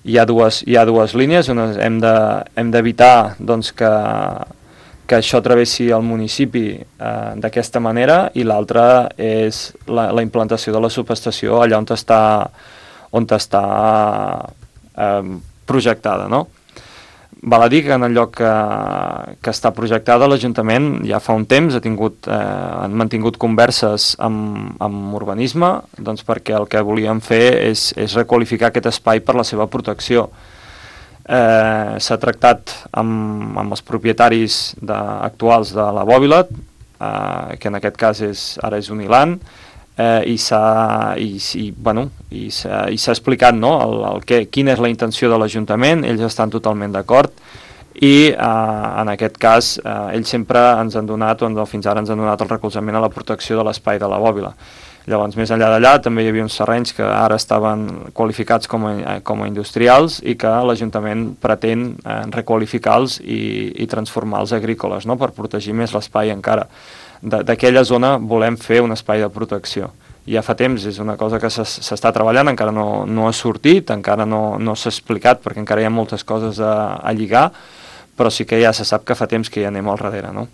hi ha dues línies. Hem d'evitar doncs, que això travessi el municipi d'aquesta manera, i l'altra és la implantació de la subestació allà on està projectada, no? Val a dir que en el lloc que està projectada l'Ajuntament ja fa un temps han mantingut converses amb urbanisme, doncs perquè el que volíem fer és requalificar aquest espai per la seva protecció. S'ha tractat amb els propietaris actuals de la Bòbila, que en aquest cas ara és Uniland, i s'ha explicat, no, quina és la intenció de l'Ajuntament. Ells estan totalment d'acord, i en aquest cas ells sempre ens han donat, fins ara ens han donat el recolzament a la protecció de l'espai de la Bòbila. Llavors, més enllà d'allà, també hi havia uns terrenys que ara estaven qualificats com a industrials i que l'Ajuntament pretén requalificar-los i transformar-los agrícoles, no?, per protegir més l'espai encara. D'aquella zona volem fer un espai de protecció. Ja fa temps, és una cosa que s'està treballant, encara no ha sortit, encara no s'ha explicat, perquè encara hi ha moltes coses a lligar, però sí que ja se sap que fa temps que hi anem al darrere, no?